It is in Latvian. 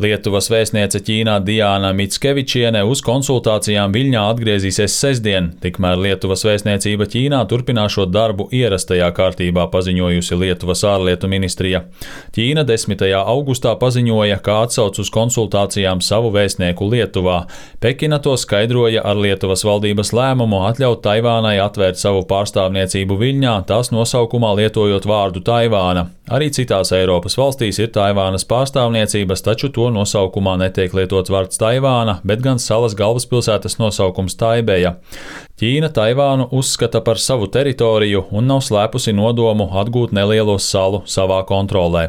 Lietuvas vēstniece Ķīnā Diana Mickevičiene uz konsultācijām Viļņā atgriezīsies sestdien, tikmēr Lietuvas vēstniecība Ķīnā turpināšot darbu ierastajā kārtībā, paziņojusi Lietuvas ārlietu ministrija. Ķīna 10. augustā paziņoja, ka atsauc uz konsultācijām savu vēstnieku Lietuvā. Pekina to skaidroja ar Lietuvas valdības lēmumu atļaut Taivānai atvērt savu pārstāvniecību Viļņā, tās nosaukumā lietojot vārdu Taivāna. Arī citās Eiropas valstīs ir Taivānas pārstāvniecības, taču to nosaukumā netiek lietots vārds Taivāna, bet gan salas galvaspilsētas nosaukums Taibeja. Ķīna Taivānu uzskata par savu teritoriju un nav slēpusi nodomu atgūt nelielo salu savā kontrolē.